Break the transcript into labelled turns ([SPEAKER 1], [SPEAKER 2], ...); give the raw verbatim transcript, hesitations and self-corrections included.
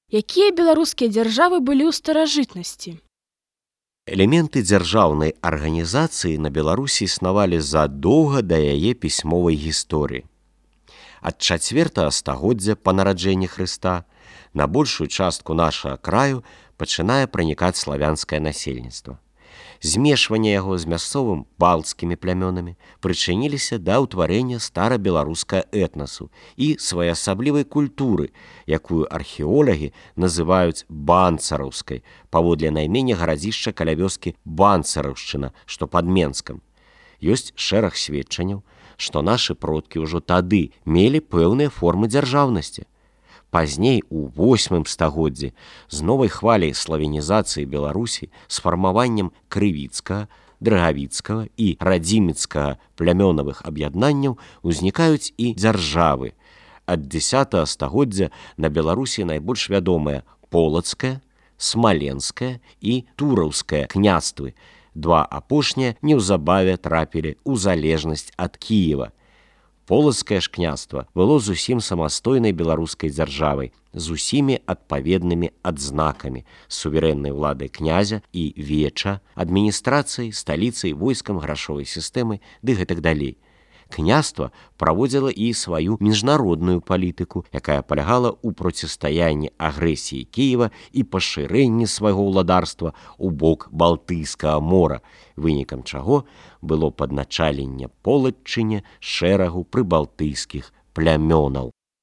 [SPEAKER 1] Якія беларускія дзяржавы былі ў старажытнасці?
[SPEAKER 2] Элементы дзяржаўнай арганізацыі на Беларусі існавалі задоўга да яе пісьмовай гісторыі. Ад чацвёртага стагоддзя па нараджэнні Хрыста на большую частку нашага краю пачынае пранікаць славянскае насельніцтва. Змешванне яго з мясцовым балцкімі плямёнамі прычыніліся да ўтварэння старабеларускага этнасу і своеасаблівай культуры, якую археолагі называюць банцараўскай, паводле наймення гарадзішча каля вёскі Банцараўшчына, што пад Менскам. Ёсць шэраг сведчанняў, што нашы продкі ўжо тады мелі пэўныя формы дзяржаўнасці. Пазней, у восьмым стагоддзі, з новай хваляй славянізацыі Беларусі з фармаваннем крывіцкага, драгавіцкага і радзіміцкага плямёнавых аб'яднанняў узнікаюць і дзяржавы. Ад дзесятага стагоддзя на Беларусі найбольш вядомыя полацкае, смаленскае і тураўскае княствы. Два апошнія неўзабаве трапілі ў залежнасць ад Кіева. Полацкае ж княства было зусім самастойнай беларускай дзяржавай з усімі адпаведнымі адзнакамі суверэннай уладай князя і веча, адміністрацыяй, сталіцай, войскам, грашовай сістэмай ды гэтак далей. Княства праводзіла і сваю міжнародную палітыку, якая палягала ў процістаянні агрэсіі Кіева і пашырэнні свайго ўладарства ў бок Балтыйскага мора, вынікам чаго было падначаленне полацчыне шэрагу прыбалтыйскіх плямёнаў.